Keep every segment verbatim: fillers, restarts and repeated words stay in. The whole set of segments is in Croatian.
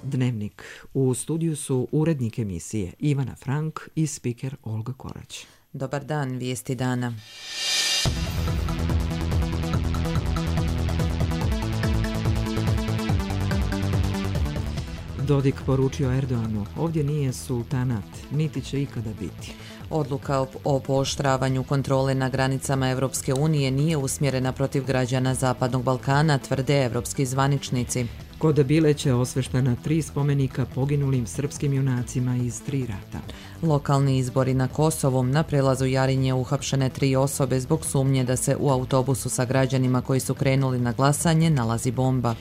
Dnevnik. U studiju su urednik emisije Ivana Frank i spiker Olga Korać. Dobar dan, vijesti dana. Dodik poručio Erdoanu, ovdje nije sultanat, niti će ikada biti. Odluka o pooštravanju kontrole na granicama Europske unije nije usmjerena protiv građana Zapadnog Balkana, tvrde evropski zvaničnici. Kod Bileća osveštena tri spomenika poginulim srpskim junacima iz tri rata. Lokalni izbori na Kosovu. Na prelazu Jarinje uhapšene tri osobe zbog sumnje da se u autobusu sa građanima koji su krenuli na glasanje nalazi bomba.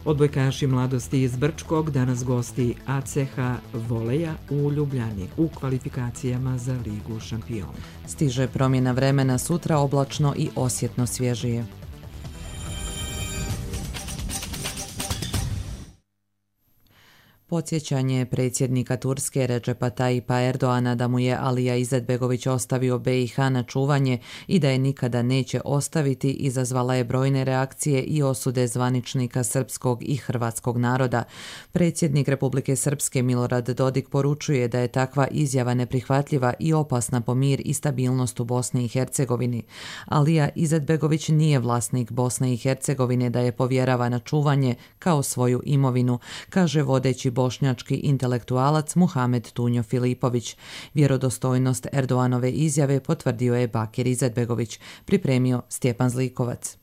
Odbojkaši mladosti iz Brčkog danas gosti A C H Voleja u Ljubljani u kvalifikacijama za Ligu šampiona. Stiže promjena vremena, sutra oblačno i osjetno svježije. Podsjećanje predsjednika Turske Recepa Tayyipa Erdoana da mu je Alija Izetbegović ostavio B i H na čuvanje i da je nikada neće ostaviti izazvala je brojne reakcije i osude zvaničnika srpskog i hrvatskog naroda. Predsjednik Republike Srpske Milorad Dodik poručuje da je takva izjava neprihvatljiva i opasna po mir i stabilnost u Bosni i Hercegovini. Alija Izetbegović nije vlasnik Bosne i Hercegovine da je povjerava na čuvanje kao svoju imovinu, kaže vodeći bošnjački intelektualac Muhamed Tunjo Filipović. Vjerodostojnost Erdoanove izjave potvrdio je Bakir Izetbegović, pripremio Stjepan Zlikovac.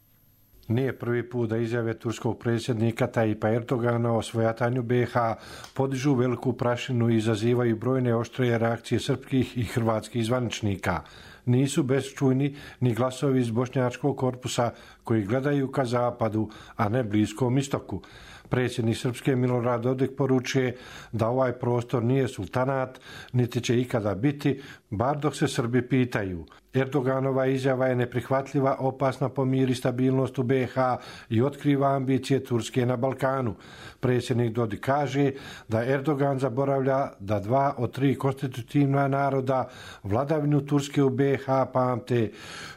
Nije prvi put da izjave turskog predsjednika Tayyipa Erdogana o svojatanju B i H podižu veliku prašinu i izazivaju brojne oštrije reakcije srpskih i hrvatskih zvaničnika. Nisu bezčujni ni glasovi iz bošnjačkog korpusa koji gledaju ka zapadu, a ne Bliskom istoku. Predsjednik Srpske Milorad Dodik poručuje da ovaj prostor nije sultanat, niti će ikada biti, bar dok se Srbi pitaju. Erdoganova izjava je neprihvatljiva, opasna po mir i stabilnost u B i H i otkriva ambicije Turske na Balkanu. Predsjednik Dodik kaže da Erdogan zaboravlja da dva od tri konstitutivna naroda vladavinu Turske u B i H pamte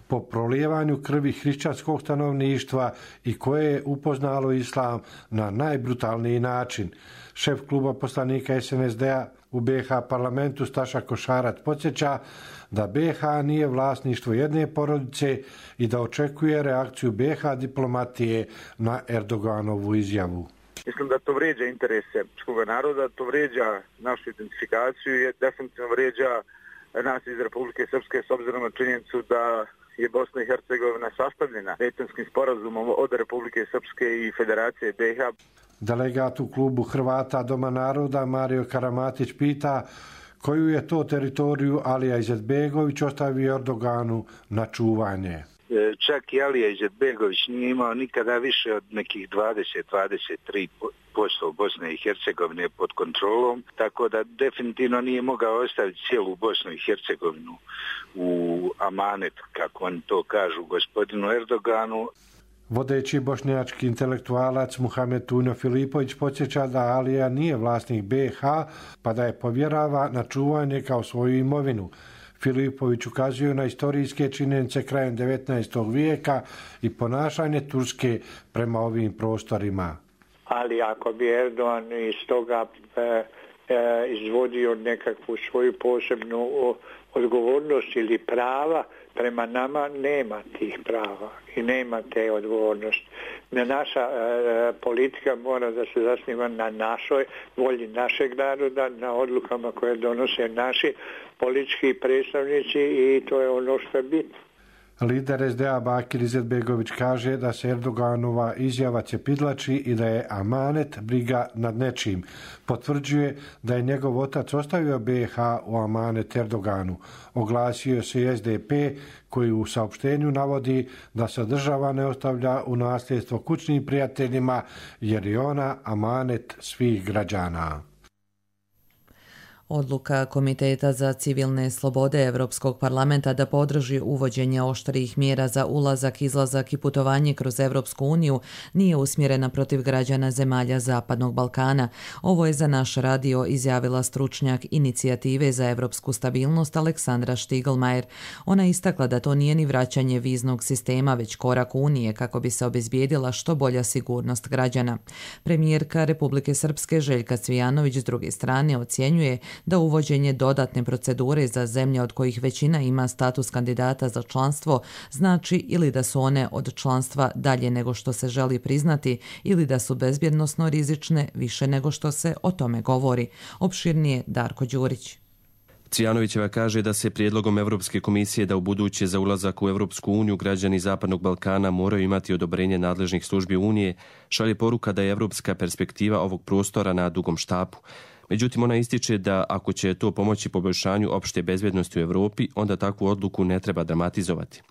po prolijevanju krvi hrišćanskog stanovništva i koje je upoznalo islam na najbrutalniji način. Šef kluba poslanika S N S D-a u B i H parlamentu Staša Košarac podsjeća da B i H nije vlasništvo jedne porodice i da očekuje reakciju B i H diplomatije na Erdoganovu izjavu. Mislim da to vrijeđa interese srpskog naroda, to vrijeđa našu identifikaciju i definitivno vrijeđa nas iz Republike Srpske s obzirom na činjenicu da je Bosna i Hercegovina sastavljena Dejtonskim sporazumom od Republike Srpske i Federacije B i H. Delegat u klubu Hrvata Doma naroda Mario Karamatić pita koju je to teritoriju Alija Izetbegović ostavio Erdoganu na čuvanje. Čak i Alija Izetbegović nije imao nikada više od nekih dvadeset do dvadeset tri posto Bosne i Hercegovine pod kontrolom, tako da definitivno nije mogao ostaviti cijelu Bosnu i Hercegovinu u amanet, kako oni to kažu, gospodinu Erdoganu. Vodeći bošnjački intelektualac Muhamed Tunjo Filipović podsjeća da Alija nije vlasnik B i H, pa da je povjerava na čuvanje kao svoju imovinu. Filipović ukazuje na istorijske činjenice krajem devetnaestog vijeka i ponašanje Turske prema ovim prostorima. Ali ako bi Erdogan iz toga e, e, izvodio nekakvu svoju posebnu odgovornost ili prava, prema nama nema tih prava i nema te odgovornosti. Naša e, politika mora da se zasniva na našoj volji našeg naroda, na odlukama koje donose naši politički predstavnici i to je ono što je bitno. Lider S D A Bakir Izetbegović kaže da se Erdoganova izjava cepidlači i da je amanet briga nad nečim. Potvrđuje da je njegov otac ostavio B i H u amanet Erdoganu. Oglasio se i S D P koji u saopštenju navodi da se država ne ostavlja u nasljedstvo kućnim prijateljima jer je ona amanet svih građana. Odluka Komiteta za civilne slobode Europskog parlamenta da podrži uvođenje oštrijih mjera za ulazak, izlazak i putovanje kroz Europsku uniju nije usmjerena protiv građana zemalja Zapadnog Balkana. Ovo je za naš radio izjavila stručnjak Inicijative za europsku stabilnost Aleksandra Štiglmajer. Ona istakla da to nije ni vraćanje viznog sistema, već korak Unije kako bi se obezbijedila što bolja sigurnost građana. Premijerka Republike Srpske Željka Cvijanović s druge strane ocjenjuje da uvođenje dodatne procedure za zemlje od kojih većina ima status kandidata za članstvo znači ili da su one od članstva dalje nego što se želi priznati ili da su bezbjednosno rizične više nego što se o tome govori. Opširnije Darko Đurić. Cvijanovićeva kaže da se prijedlogom Europske komisije da u buduće za ulazak u Europsku uniju građani Zapadnog Balkana moraju imati odobrenje nadležnih službi Unije, šalje poruka da je europska perspektiva ovog prostora na dugom štapu. Međutim, ona ističe da ako će to pomoći poboljšanju opšte bezbjednosti u Europi, onda takvu odluku ne treba dramatizovati.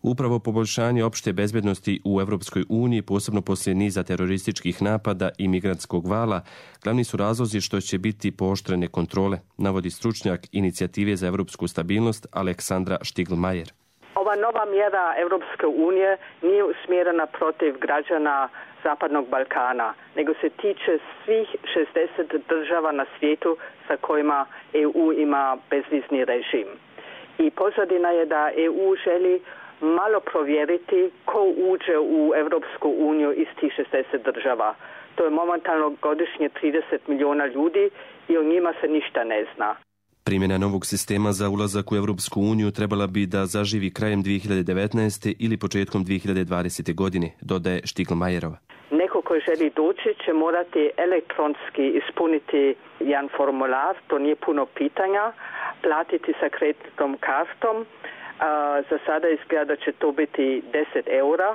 Upravo poboljšanje opšte bezbjednosti u Europskoj uniji, posebno poslije niza terorističkih napada i migrantskog vala, glavni su razlozi što će biti pooštrene kontrole, navodi stručnjak Inicijative za europsku stabilnost Aleksandra Štiglmajer. Ova nova mjera Europske unije nije usmjerena protiv građana Zapadnog Balkana, nego se tiče svih šezdeset država na svijetu sa kojima E U ima bezvizni režim. I pozadina je da E U želi malo provjeriti ko uđe u Europsku uniju iz tih šezdeset država. To je momentalno godišnje trideset milijuna ljudi i o njima se ništa ne zna. Primjena novog sistema za ulazak u Europsku uniju trebala bi da zaživi krajem dvije hiljade devetnaeste. ili početkom dvije hiljade dvadesete. godine, dodaje Štiglmajerova. Neko koji želi doći će morati elektronski ispuniti jedan formular, to nije puno pitanja, platiti sa kreditnom kartom. A, za sada izgleda da će to biti deset eura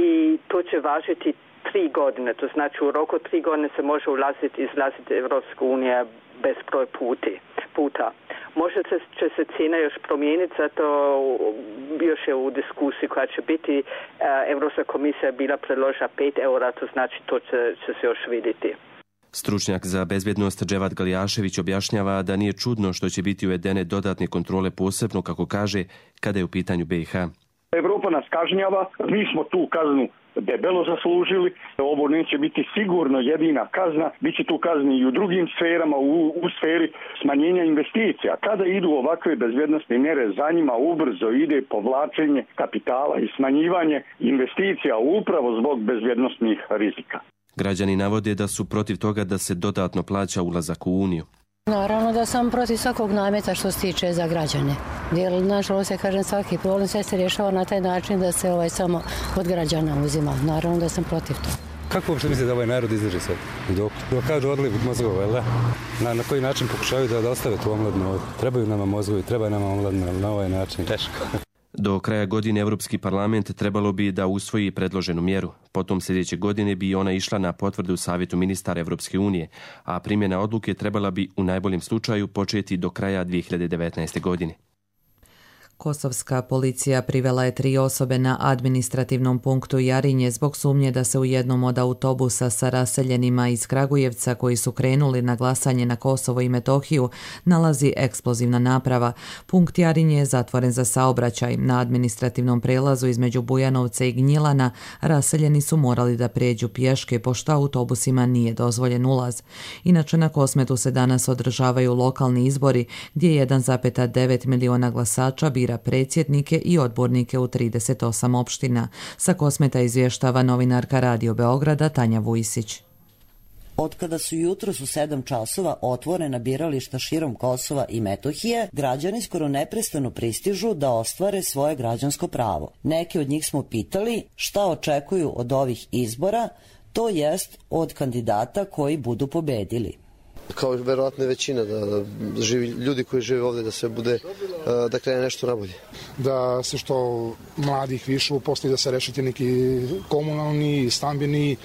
i to će važiti tri godine. To znači u roku tri godine se može ulaziti i izlaziti Europsku uniju bez broj puti, puta. Možda će se cijena još promijeniti, zato još je u diskusiji koja će biti. Europska komisija je bila predložila pet eura, to znači to će, će se još vidjeti. Stručnjak za bezbjednost Dževat Galjašević objašnjava da nije čudno što će biti uvedene dodatne kontrole, posebno, kako kaže, kada je u pitanju B i H. Evropa nas kažnjava, mi smo tu kaznu debelo zaslužili. Ovo neće biti sigurno jedina kazna, bit će tu kazni i u drugim sferama, u, u sferi smanjenja investicija. Kada idu ovakve bezbjednostne mjere, za njima ubrzo ide povlačenje kapitala i smanjivanje investicija upravo zbog bezbjednosnih rizika. Građani navode da su protiv toga da se dodatno plaća ulazak u Uniju. Naravno da sam protiv svakog nameta što se tiče za građane. Jer, nažalost, ja kažem, svaki problem sve se rješava na taj način da se ovaj samo od građana uzima. Naravno da sam protiv toga. Kako uopšte mislite da ovaj narod izdrži sad? Dok, dok kažu odliv mozgova, jel da? Na, na koji način pokušavaju da, da ostave tu omladnu ovdje? Trebaju nama mozgovi, treba nama omladna, ali na ovaj način teško. Do kraja godine Europski parlament trebalo bi da usvoji predloženu mjeru. Potom sljedeće godine bi ona išla na potvrdu Savjetu ministara Europske unije, a primjena odluke trebala bi u najboljem slučaju početi do kraja dvije hiljade devetnaeste. godine. Kosovska policija privela je tri osobe na administrativnom punktu Jarinje zbog sumnje da se u jednom od autobusa sa raseljenima iz Kragujevca koji su krenuli na glasanje na Kosovo i Metohiju nalazi eksplozivna naprava. Punkt Jarinje je zatvoren za saobraćaj. Na administrativnom prelazu između Bujanovca i Gnjilana raseljeni su morali da prijeđu pješke pošto autobusima nije dozvoljen ulaz. Inače, na Kosmetu se danas održavaju lokalni izbori gdje jedan zarez devet miliona glasača bira predsjednike i odbornike u trideset osam opština. Sa Kosmeta izvještava novinarka Radio Beograda Tanja Vujsić. Otkada su jutros u sedam časova otvorena birališta širom Kosova i Metohije, građani skoro neprestano pristižu da ostvare svoje građansko pravo. Neki od njih smo pitali šta očekuju od ovih izbora, to jest od kandidata koji budu pobedili. Kao verovatno većina, da, da živi, ljudi koji žive ovdje, da se bude, da krene nešto nabolje. Da se što mladih više uposli, da se rešiti neki komunalni, stambeni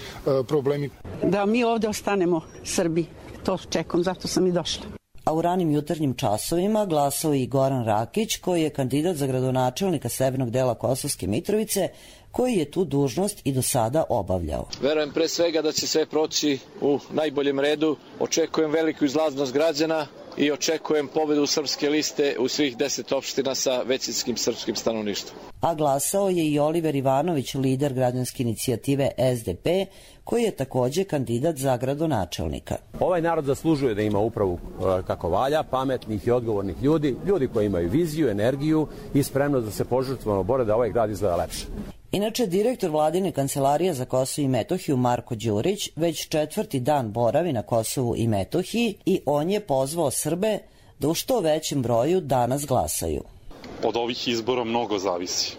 problemi. Da mi ovdje ostanemo Srbi, to čekam, zato sam i došla. A u ranim jutarnjim časovima glasao i Goran Rakić, koji je kandidat za gradonačelnika severnog dela Kosovske Mitrovice, koji je tu dužnost i do sada obavljao. Verujem pre svega da će sve proći u najboljem redu. Očekujem veliku izlaznost građana i očekujem pobedu srpske liste u svih deset opština sa većinskim srpskim stanovništvom. A glasao je i Oliver Ivanović, lider građanske inicijative S D P, koji je također kandidat za gradonačelnika. Ovaj narod zaslužuje da ima upravu kako valja, pametnih i odgovornih ljudi, ljudi koji imaju viziju, energiju i spremnost da se požrtvovno bore da ovaj grad izgleda lepše. Inače, direktor vladine kancelarije za Kosovo i Metohiju Marko Đurić već četvrti dan boravi na Kosovu i Metohiji i on je pozvao Srbe da u što većem broju danas glasaju. Od ovih izbora mnogo zavisi.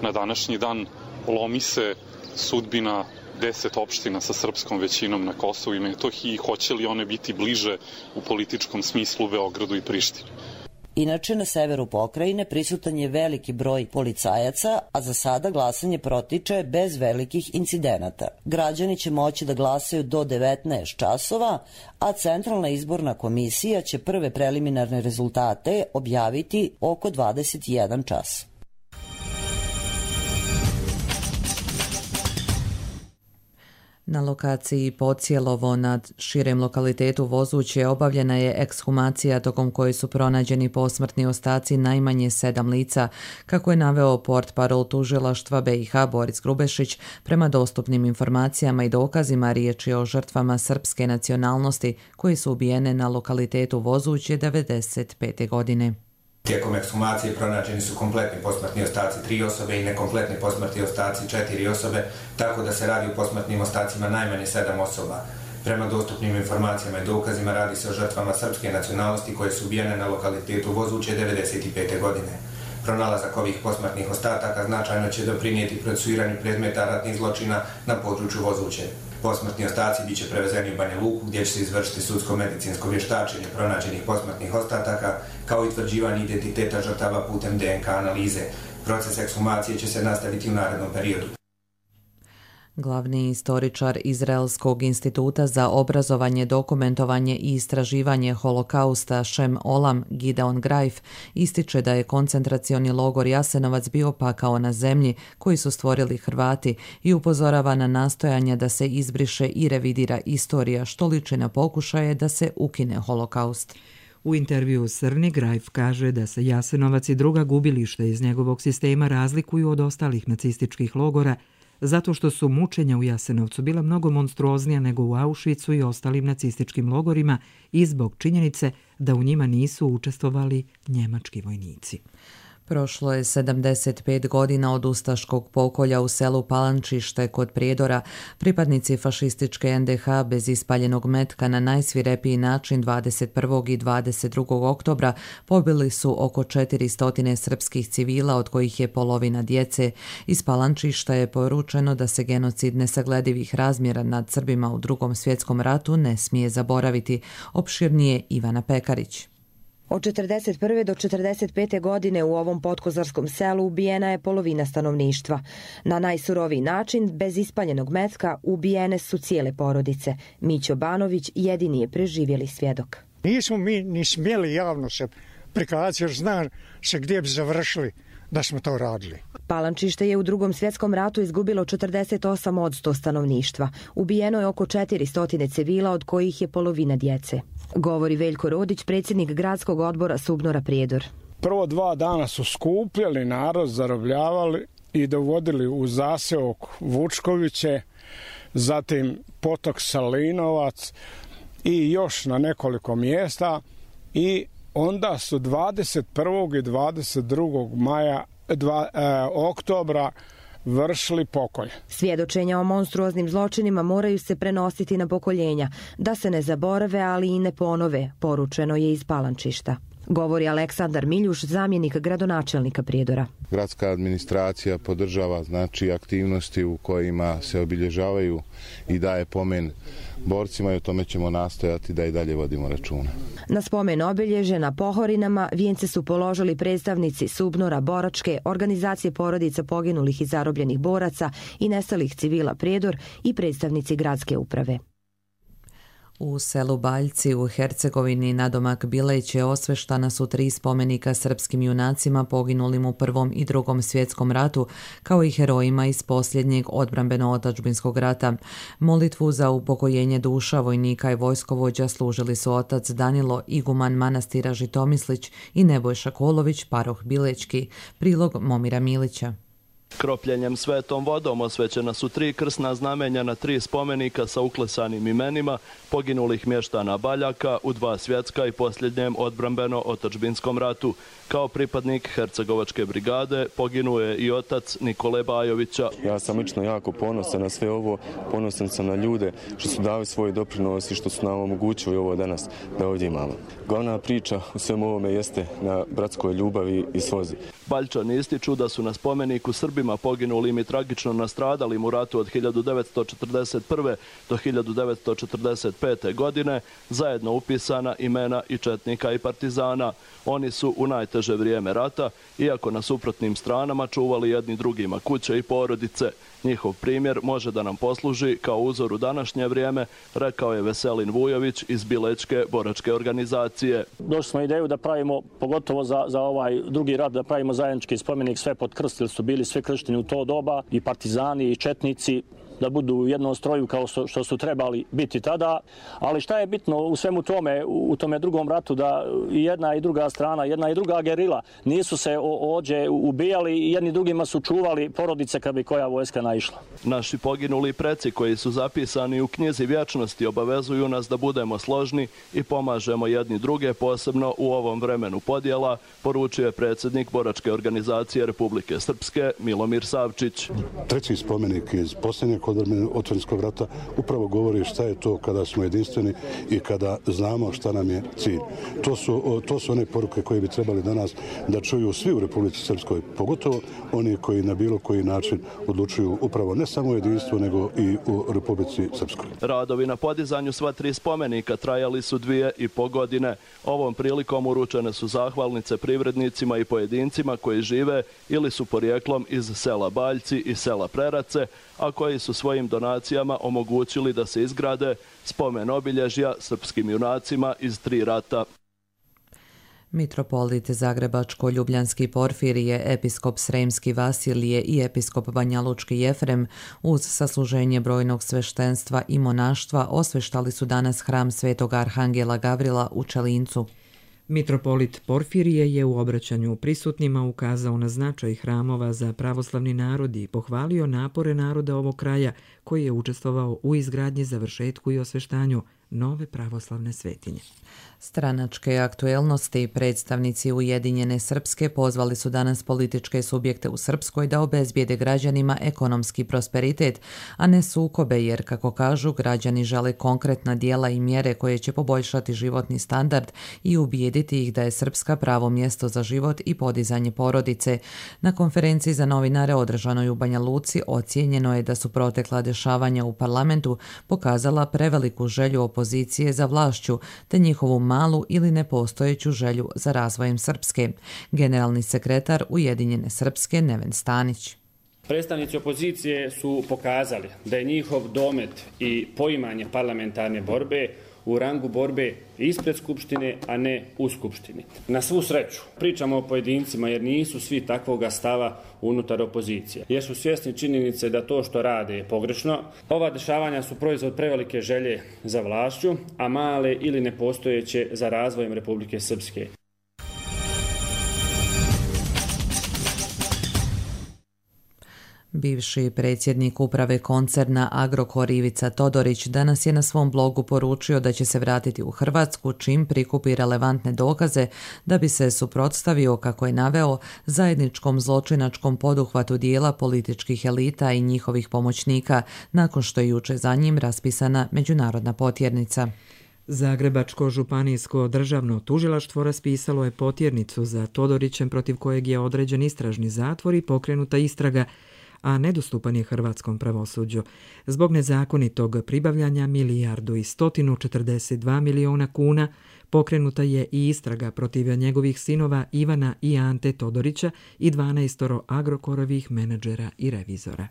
Na današnji dan lomi se sudbina deset opština sa srpskom većinom na Kosovu i Metohiji i hoće li one biti bliže u političkom smislu Beogradu i Prištini. Inače, na severu pokrajine prisutan je veliki broj policajaca, a za sada glasanje protiče bez velikih incidenata. Građani će moći da glasaju do devetnaest časova, a Centralna izborna komisija će prve preliminarne rezultate objaviti oko dvadeset jedan čas. Na lokaciji Pocijelovo nad širem lokalitetu Vozuće obavljena je ekshumacija tokom koje su pronađeni posmrtni ostaci najmanje sedam lica, kako je naveo portparol tužilaštva B i H Boris Grubešić. Prema dostupnim informacijama i dokazima riječ je o žrtvama srpske nacionalnosti koji su ubijene na lokalitetu Vozuće devedeset pete godine. Tijekom ekshumacije pronađeni su kompletni posmrtni ostaci tri osobe i nekompletni posmrtni ostaci četiri osobe, tako da se radi o posmrtnim ostacima najmanje sedam osoba. Prema dostupnim informacijama i dokazima radi se o žrtvama srpske nacionalnosti koje su ubijene na lokalitetu Vozuće devedeset pete godine. Pronalazak ovih posmrtnih ostataka značajno će doprinijeti procesuiranju predmeta ratnih zločina na području Vozuće. Posmrtni ostaci biće prevezeni u Banja Luku gdje će se izvršiti sudsko-medicinsko vještačenje pronađenih posmrtnih ostataka kao i utvrđivanje identiteta žrtava putem D N K analize. Proces ekshumacije će se nastaviti u narednom periodu. Glavni istoričar Izraelskog instituta za obrazovanje, dokumentovanje i istraživanje holokausta Šem Olam Gideon Greif ističe da je koncentracioni logor Jasenovac bio pakao na zemlji koji su stvorili Hrvati i upozorava na nastojanja da se izbriše i revidira istorija, što liči na pokušaje da se ukine holokaust. U intervju Srni Greif kaže da se Jasenovac i druga gubilišta iz njegovog sistema razlikuju od ostalih nacističkih logora zato što su mučenja u Jasenovcu bila mnogo monstruoznija nego u Auschwitzu i ostalim nacističkim logorima i zbog činjenice da u njima nisu učestvovali njemački vojnici. Prošlo je sedamdeset pet godina od ustaškog pokolja u selu Palančište kod Prijedora. Pripadnici fašističke N D H bez ispaljenog metka na najsvirepiji način dvadeset prvog i dvadeset drugog oktobra pobili su oko četiristo srpskih civila, od kojih je polovina djece. Iz Palančišta je poručeno da se genocid nesagledivih razmjera nad Srbima u Drugom svjetskom ratu ne smije zaboraviti. Opširnije Ivana Pekarić. Od četrdeset prve do četrdeset pete godine u ovom podkozarskom selu ubijena je polovina stanovništva. Na najsuroviji način, bez ispaljenog metka, ubijene su cijele porodice. Mićo Banović jedini je preživjeli svjedok. Nismo mi ni smjeli javno se prikazati jer zna se gdje bi završili da smo to radili. Palančište je u Drugom svjetskom ratu izgubilo četrdeset osam posto stanovništva. Ubijeno je oko četiristo civila, od kojih je polovina djece. Govori Veljko Rodić, predsjednik gradskog odbora Subnora Prijedor. Prvo dva dana su skupljali narod, zarobljavali i dovodili u zaseok Vučkoviće, zatim potok Salinovac i još na nekoliko mjesta i onda su dvadeset prvog i dvadeset drugog maja, dva, e, oktobra vršili pokolj. Svjedočenja o monstruoznim zločinima moraju se prenositi na pokoljenja, da se ne zaborave, ali i ne ponove, poručeno je iz Palančišta. Govori Aleksandar Miljuš, zamjenik gradonačelnika Prijedora. Gradska administracija podržava znači aktivnosti u kojima se obilježavaju i daje pomen borcima i o tome ćemo nastojati da i dalje vodimo računa. Na spomen obilježe na Pohorinama vijence su položili predstavnici Subnora, Boračke, organizacije porodica poginulih i zarobljenih boraca i nestalih civila Prijedor i predstavnici gradske uprave. U selu Baljci u Hercegovini nadomak Bileće osveštana su tri spomenika srpskim junacima poginulim u Prvom i Drugom svjetskom ratu, kao i herojima iz posljednjeg odbrambeno-otadžbinskog rata. Molitvu za upokojenje duša vojnika i vojskovođa služili su otac Danilo, iguman manastira Žitomislić, i Nebojša Kolović, paroh Bilečki. Prilog Momira Milića. Kropljenjem svetom vodom osvećena su tri krsna znamenja na tri spomenika sa uklesanim imenima poginulih mještana Baljaka u dva svjetska i posljednjem odbrambeno-otadžbinskom ratu. Kao pripadnik Hercegovačke brigade poginuo je i otac Nikole Bajovića. Ja sam lično jako ponosan na sve ovo, ponosan sam na ljude što su dali svoj doprinos i što su nam omogućili ovo danas da ovdje imamo. Glavna priča u svemu ovome jeste na bratskoj ljubavi i slozi. Baljčani ističu da su na spomeniku Srbima poginulim i tragično nastradalim u ratu od hiljadu devetsto četrdeset prve. do hiljadu devetsto četrdeset pete. godine zajedno upisana imena i četnika i partizana. Oni su u najteže vrijeme rata, iako na suprotnim stranama, čuvali jedni drugima kuće i porodice. Njihov primjer može da nam posluži kao uzor u današnje vrijeme, rekao je Veselin Vujović iz Bilečke boračke organizacije. Došli smo ideju da pravimo, pogotovo za, za ovaj drugi rat, da pravimo zajednički spomenik sve pod krst, jer su bili sve kršteni u to doba, i partizani i četnici, da budu u jednom stroju kao što su trebali biti tada. Ali šta je bitno u svemu tome, u tome drugom ratu, da i jedna i druga strana, jedna i druga gerila nisu se ođe ubijali i jedni drugima su čuvali porodice kad bi koja vojska naišla. Naši poginuli preci koji su zapisani u knjizi vječnosti obavezuju nas da budemo složni i pomažemo jedni druge, posebno u ovom vremenu podjela, poručuje predsjednik boračke organizacije Republike Srpske Milomir Savčić. Treći spomenik iz posljednjeg otvorenskog rata upravo govori šta je to kada smo jedinstveni i kada znamo šta nam je cilj. To su, to su one poruke koje bi trebali danas da čuju svi u Republici Srpskoj, pogotovo oni koji na bilo koji način odlučuju upravo ne samo u jedinstvu, nego i u Republici Srpskoj. Radovi na podizanju sva tri spomenika trajali su dvije i po godine. Ovom prilikom uručene su zahvalnice privrednicima i pojedincima koji žive ili su porijeklom iz sela Baljci i sela Prerace, a koji su svojim donacijama omogućili da se izgrade spomen obilježja srpskim junacima iz tri rata. Mitropolit Zagrebačko-Ljubljanski Porfirije, episkop Sremski Vasilije i episkop Banjalučki Jefrem uz sasluženje brojnog sveštenstva i monaštva osveštali su danas hram Svetog Arhangela Gavrila u Čelincu. Mitropolit Porfirije je u obraćanju prisutnima ukazao na značaj hramova za pravoslavni narod i pohvalio napore naroda ovog kraja koji je učestvovao u izgradnji, završetku i osveštanju nove pravoslavne svetinje. Stranačke aktuelnosti predstavnici Ujedinjene Srpske pozvali su danas političke subjekte u Srpskoj da obezbijede građanima ekonomski prosperitet, a ne sukobe, jer, kako kažu, građani žele konkretna dijela i mjere koje će poboljšati životni standard i ubijediti ih da je Srpska pravo mjesto za život i podizanje porodice. Na konferenciji za novinare održanoj u Banja Luci ocijenjeno je da su protekla dešavanja u parlamentu pokazala preveliku želju opozicije za vlašću, te njihovu malu ili nepostojeću želju za razvojem Srpske. Generalni sekretar Ujedinjene Srpske Neven Stanić. Predstavnici opozicije su pokazali da je njihov domet i poimanje parlamentarne borbe u rangu borbe ispred Skupštine, a ne u Skupštini. Na svu sreću, pričamo o pojedincima jer nisu svi takvoga stava unutar opozicije. Jer su svjesni činjenice da to što rade je pogrešno. Ova dešavanja su proizvod prevelike želje za vlašću, a male ili nepostojeće za razvojem Republike Srpske. Bivši predsjednik uprave koncerna Agrokor Ivica Todorić danas je na svom blogu poručio da će se vratiti u Hrvatsku čim prikupi relevantne dokaze da bi se suprotstavio, kako je naveo, zajedničkom zločinačkom poduhvatu dijela političkih elita i njihovih pomoćnika, nakon što je juče za njim raspisana međunarodna potjernica. Zagrebačko županijsko državno tužilaštvo raspisalo je potjernicu za Todorićem, protiv kojeg je određen istražni zatvor i pokrenuta istraga, a nedostupan je hrvatskom pravosuđu. Zbog nezakonitog pribavljanja milijardu i stotinu četrdeset dva miliona kuna pokrenuta je i istraga protiv njegovih sinova Ivana i Ante Todorića i dvanaestoro Agrokorovih menadžera i revizora.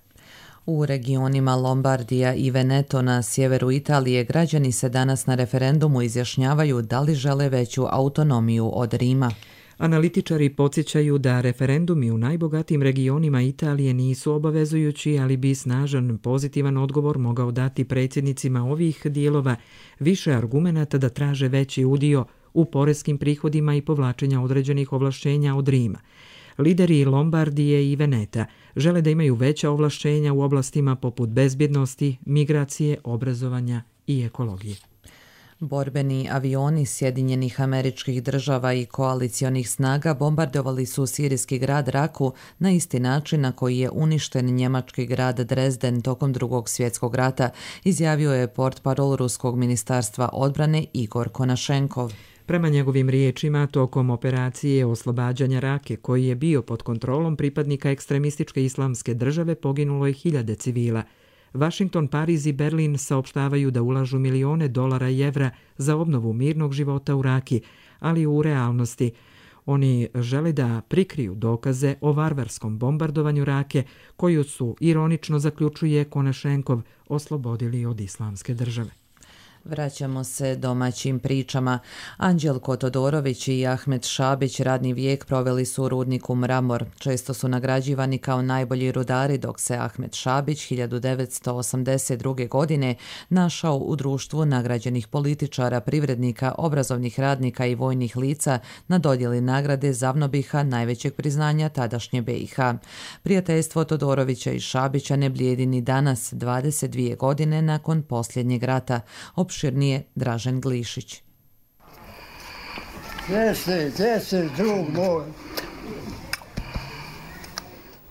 U regionima Lombardija i Veneto na sjeveru Italije građani se danas na referendumu izjašnjavaju da li žele veću autonomiju od Rima. Analitičari podsjećaju da referendumi u najbogatijim regionima Italije nisu obavezujući, ali bi snažan pozitivan odgovor mogao dati predsjednicima ovih dijelova više argumenata da traže veći udio u poreskim prihodima i povlačenja određenih ovlašćenja od Rima. Lideri Lombardije i Veneta žele da imaju veća ovlašćenja u oblastima poput bezbjednosti, migracije, obrazovanja i ekologije. Borbeni avioni Sjedinjenih Američkih Država i koalicionih snaga bombardovali su sirijski grad Raku na isti način na koji je uništen njemački grad Dresden tokom Drugog svjetskog rata, izjavio je portparol Ruskog ministarstva odbrane Igor Konašenkov. Prema njegovim riječima, tokom operacije oslobađanja Rake, koji je bio pod kontrolom pripadnika ekstremističke islamske države, poginulo je hiljade civila. Washington, Pariz i Berlin saopštavaju da ulažu milione dolara i evra za obnovu mirnog života u Raki, ali u realnosti oni žele da prikriju dokaze o varvarskom bombardovanju Rake, koju su, ironično zaključuje Konašenkov, oslobodili od islamske države. Vraćamo se domaćim pričama. Anđelko Todorović i Ahmet Šabić radni vijek proveli su u rudniku Mramor. Često su nagrađivani kao najbolji rudari, dok se Ahmet Šabić hiljadu devetsto osamdeset druge. godine našao u društvu nagrađenih političara, privrednika, obrazovnih radnika i vojnih lica na dodjeli nagrade Zavnobiha, najvećeg priznanja tadašnje B i H. Prijateljstvo Todorovića i Šabića ne blijedi ni danas, dvadeset dvije godine nakon posljednjeg rata. Opširnije Dražen Glišić. Jeste, jeste, drug moj.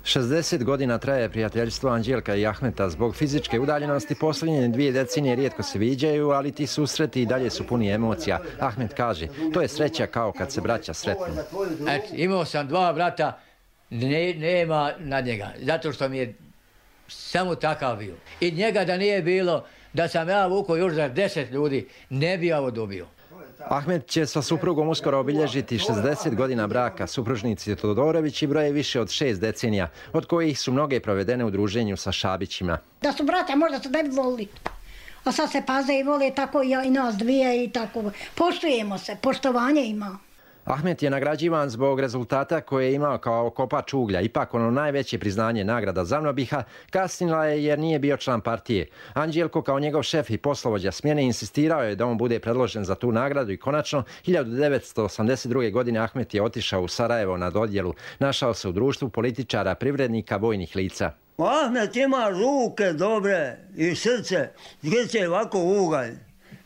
šezdeset godina traje prijateljstvo Anđelka i Ahmeta. Zbog fizičke udaljenosti posljednje dvije decenije rijetko se viđaju, ali ti susreti i dalje su puni emocija. Ahmet kaže, to je sreća kao kad se braća sretnu. Et, imao sam dva brata, ne, nema nad njega, zato što mi je samo takav bio. I njega da nije bilo, da sam ja vukao još za deset ljudi, ne bi ja ovo dobio. Ahmet će sa suprugom uskoro obilježiti šezdeset godina braka. Supružnici Todorovići broje više od šest decenija, od kojih su mnoge provedene u druženju sa Šabićima. Da su brata, možda se ne bi volili. A sad se paze i vole tako i, ja, i nas dvije i tako. Poštujemo se, poštovanje ima. Ahmet je nagrađivan zbog rezultata koje je imao kao kopač uglja. Ipak ono najveće priznanje, nagrada Zavnobiha, kasnila je jer nije bio član partije. Anđelko kao njegov šef i poslovođa smjene insistirao je da on bude predložen za tu nagradu i konačno hiljadu devetsto osamdeset druge. godine Ahmet je otišao u Sarajevo na dodjelu. Našao se u društvu političara, privrednika, vojnih lica. Ahmet ima ruke dobre i srce, srce ovako ugalj.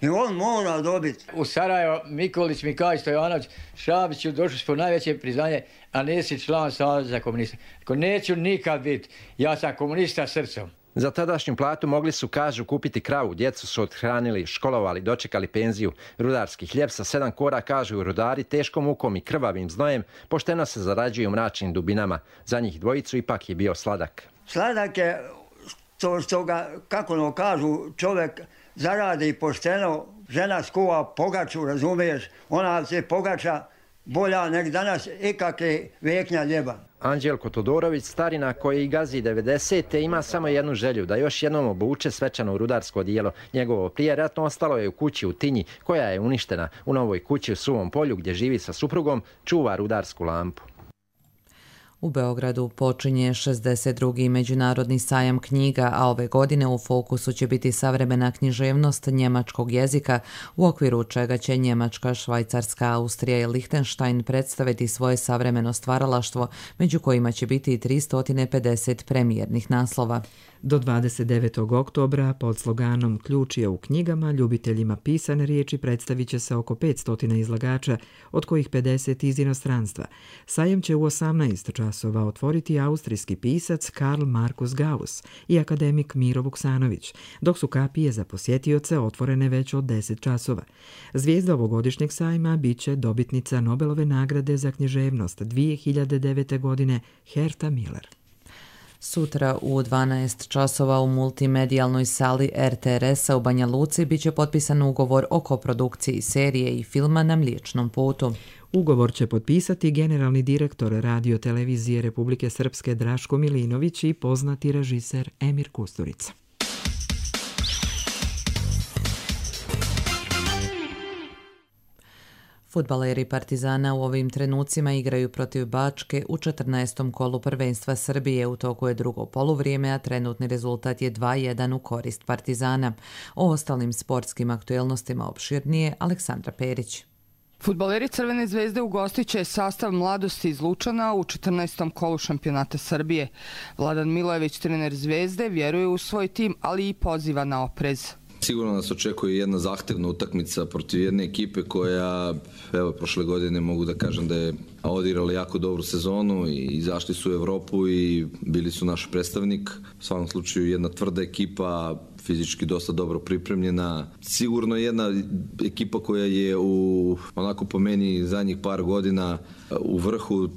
I on mora dobiti. U Sarajevo Mikolić mi kaže Stojanović, Šabiću došli smo najveće priznanje, a nisi član Saveza komunista. Ako neću nikad biti, ja sam komunista srcom. Za tadašnju platu mogli su, kažu, kupiti kravu, djecu su othranili, školovali, dočekali penziju. Rudarski hljeb sa sedam kora, kažu rudari, teškom mukom i krvavim znojem, pošteno se zarađuju u mračnim dubinama. Za njih dvojicu ipak je bio sladak. Sladak je, to što ga, kako no kažu, čovjek zaradi pošteno, žena skuva pogaču, razumiješ, ona se pogača bolja nek danas ikakve veknja ljeba. Anđelko Todorović, starina koji gazi devedesete, ima samo jednu želju, da još jednom obuče svečano rudarsko odijelo. Njegovo prijeratno ostalo je u kući u Tinji, koja je uništena. U novoj kući u Suvom polju, gdje živi sa suprugom, čuva rudarsku lampu. U Beogradu počinje šezdeset drugi međunarodni sajam knjiga, a ove godine u fokusu će biti savremena književnost njemačkog jezika, u okviru čega će Njemačka, Švajcarska, Austrija i Lihtenštajn predstaviti svoje savremeno stvaralaštvo, među kojima će biti i tristo pedeset premijernih naslova. Do dvadeset devetog oktobra pod sloganom Ključ je u knjigama ljubiteljima pisane riječi predstavit će se oko petsto izlagača, od kojih pedeset iz inostranstva. Sajam će u osamnaest časova otvoriti austrijski pisac Karl Markus Gauss i akademik Miro Vuksanović, dok su kapije za posjetioce otvorene već od deset časova. Zvijezda ovogodišnjeg sajma bit će dobitnica Nobelove nagrade za književnost dvije hiljade devete. godine Herta Miller. Sutra u dvanaest časova u multimedijalnoj sali er te er esa u Banja Luci biće potpisan ugovor o koprodukciji serije i filma Na Mliječnom putu. Ugovor će potpisati generalni direktor Radio televizije Republike Srpske Draško Milinović i poznati režiser Emir Kusturica. Fudbaleri Partizana u ovim trenucima igraju protiv Bačke u četrnaestom kolu prvenstva Srbije. U toku je drugo poluvrijeme, a trenutni rezultat je dva jedan u korist Partizana. O ostalim sportskim aktuelnostima opširnije Aleksandra Perić. Fudbaleri Crvene zvezde ugostit će sastav Mladosti iz Lučana u četrnaestom kolu šampionata Srbije. Vladan Milojević, trener Zvezde, vjeruje u svoj tim, ali i poziva na oprez. Sigurno nas očekuje jedna zahtevna utakmica protiv jedne ekipe koja, evo, prošle godine mogu da kažem da je odigrala jako dobru sezonu i izašli su u Evropu i bili su naš predstavnik. U svakom slučaju jedna tvrda ekipa, fizički dosta dobro pripremljena. Sigurno jedna ekipa koja je u, onako po meni, zadnjih par godina u vrhu.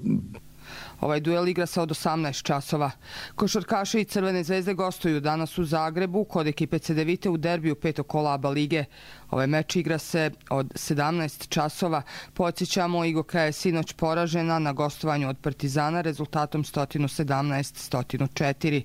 Ovaj duel igra se od osamnaest časova. Košarkaši i Crvene zvezde gostuju danas u Zagrebu kod ekipe Cedevite u derbiju petog kola A B A lige. Ovaj meč igra se od sedamnaest časova. Podsjećamo, Igoka je sinoć poražena na gostovanju od Partizana rezultatom sto sedamnaest sto četiri.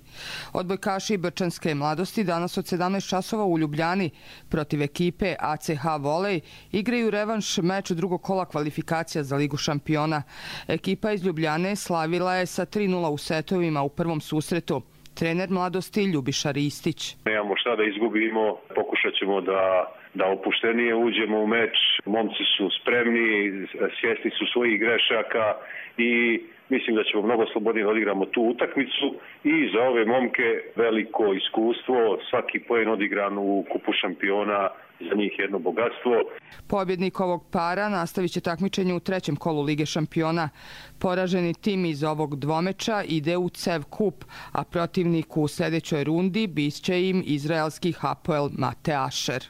Odbojkaši Brčanske mladosti danas od sedamnaest časova u Ljubljani protiv ekipe A C H Volej igraju revanš meč drugog kola kvalifikacija za Ligu šampiona. Ekipa iz Ljubljane slavila je sa tri nula u setovima u prvom susretu. Trener mladosti Ljubiša Ristić. Nemamo šta da izgubimo, pokušat ćemo da, da opuštenije uđemo u meč. Momci su spremni, svjesni su svojih grešaka i mislim da ćemo mnogo slobodnije odigramo tu utakmicu. I za ove momke veliko iskustvo, svaki poen odigran u kupu šampiona, za njih jedno bogatstvo. Pobjednik ovog para nastavit će takmičenje u trećem kolu Lige šampiona. Poraženi tim iz ovog dvomeča ide u C E V kup, a protivnik u sljedećoj rundi bit će im izraelski Hapoel Mate Asher.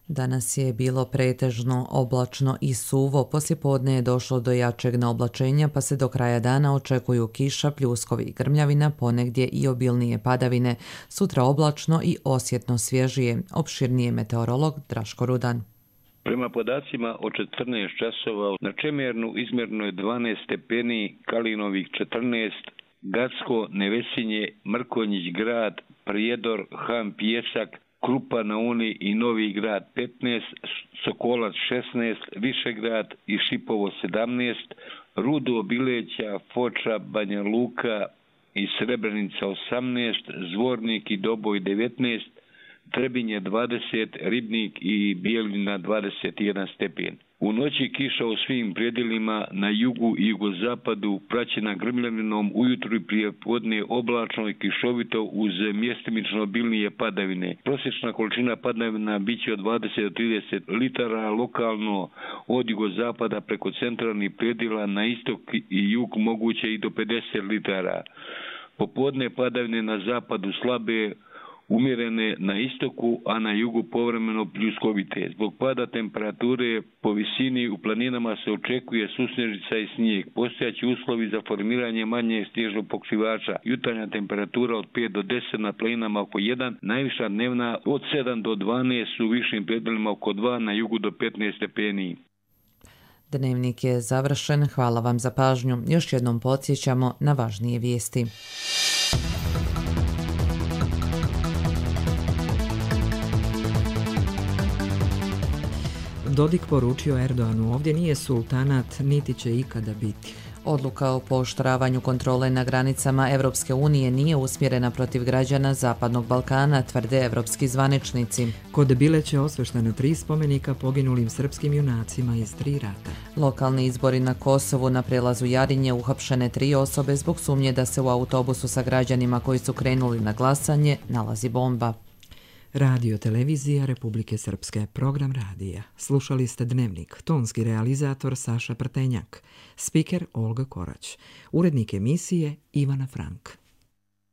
Danas je bilo pretežno oblačno i suvo, poslijepodne je došlo do jačeg naoblačenja pa se do kraja dana očekuju kiša, pljuskovi i grmljavina, ponegdje i obilnije padavine. Sutra oblačno i osjetno svježije. Opširnije meteorolog Draško Rudan. Prema podacima od četrnaest časova na Čemernu izmjerno je dvanaest stepeni, Kalinovih četrnaest, Gacko, Nevesinje, Mrkonjić grad, Prijedor, Han Pjesak, Krupa na Uni i Novi grad petnaest, Sokolac šesnaest, Višegrad i Šipovo sedamnaest, Rudo, Bileća, Foča, Banja Luka i Srebrenica osamnaest, Zvornik i Doboj devetnaest, Trebinje dvadeset, Ribnik i Bijeljina dvadeset jedan stepen. U noći kiša u svim predjelima na jugu i jugozapadu praćena grmljavinom, ujutru i prije podne oblačno i kišovito uz mjestimično obilnije padavine. Prosječna količina padavina biće od dvadeset do trideset litara, lokalno od jugozapada preko centralnih predjela na istok i jug moguće i do pedeset litara. Popodne padavine na zapadu slabe, umjerene na istoku, a na jugu povremeno pljuskovite. Zbog pada temperature po visini u planinama se očekuje susnežica i snijeg. Postojaće uslovi za formiranje manje snježnog pokrivača. Jutarnja temperatura od pet do deset na planinama oko jedan, najviša dnevna od sedam do dvanaest, u višim predjelima oko dva, na jugu do petnaest stepeni. Dnevnik je završen. Hvala vam za pažnju. Još jednom podsjećamo na važnije vijesti. Dodik poručio Erdoganu, ovdje nije sultanat, niti će ikada biti. Odluka o pooštravanju kontrole na granicama Evropske unije nije usmjerena protiv građana Zapadnog Balkana, tvrde evropski zvaničnici. Kod Bileća osveštena tri spomenika poginulim srpskim junacima iz tri rata. Lokalni izbori na Kosovu, na prelazu Jarinje uhapšene tri osobe zbog sumnje da se u autobusu sa građanima koji su krenuli na glasanje nalazi bomba. Radio televizija Republike Srpske, program radija. Slušali ste Dnevnik, tonski realizator Saša Prtenjak, spiker Olga Korać, urednik emisije Ivana Frank.